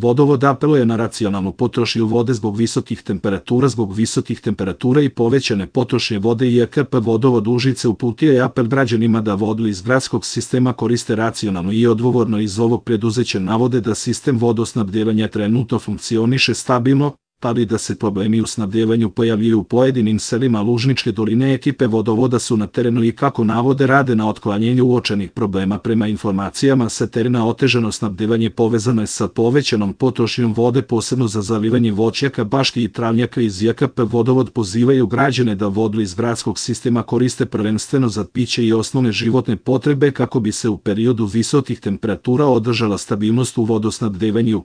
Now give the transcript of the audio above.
Vodovod apeluje na racionalnu potrošnju vode zbog visokih temperatura. Zbog visokih temperatura i povećane potrošnje vode JKP Vodovod Užice uputio je apel građanima da vodu iz gradskog sistema koriste racionalno i odgovorno. Iz ovog preduzeća navode da sistem vodosnabdevanja trenutno funkcioniše stabilno, ali da se problemi u snabdevanju pojavljuju u pojedinim selima Lužničke doline. Ekipe vodovoda su na terenu i, kako navode, rade na otklanjenju uočenih problema. Prema informacijama sa terena, otežano snabdevanje povezano je sa povećanom potrošnjom vode, posebno za zalivanje voćnjaka, baški i travnjaka. Iz JKP Vodovod pozivaju građane da vodu iz gradskog sistema koriste prvenstveno za piće i osnovne životne potrebe, kako bi se u periodu visokih temperatura održala stabilnost u vodosnabdevanju.